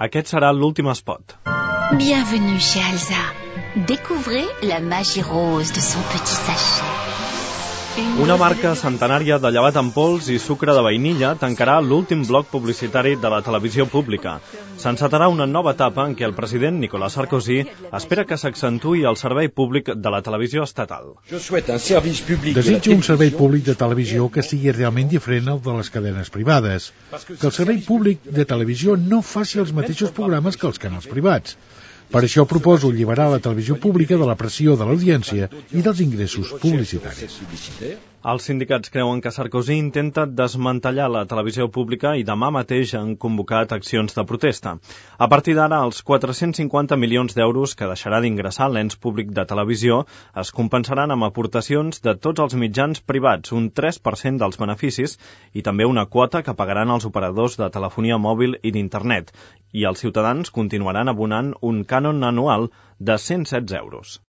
Aquest serà l'últim spot. Bienvenue chez Elsa. Découvrez la magie rose de son petit sachet. Una marca centenària de llevat en pols i sucre de vainilla tancarà l'últim bloc publicitari de la televisió pública. S'encetarà una nova etapa en què el president Nicolas Sarkozy espera que s'accentuï el servei públic de la televisió estatal. Desitjo un servei públic de televisió que sigui realment diferent al de les cadenes privades. Que el servei públic de televisió no faci els mateixos programes que els canals privats. Per això proposo alliberar la televisió pública de la pressió de l'audiència i dels ingressos publicitaris. Els sindicats creuen que Sarkozy intenta desmantellar la televisió pública i demà mateix han convocat accions de protesta. A partir d'ara, els 450 milions d'euros que deixarà d'ingressar l'ens públic de televisió es compensaran amb aportacions de tots els mitjans privats, un 3% dels beneficis, i també una quota que pagaran els operadors de telefonia mòbil i d'internet, i els ciutadans continuaran abonant un cànon anual de 116 euros.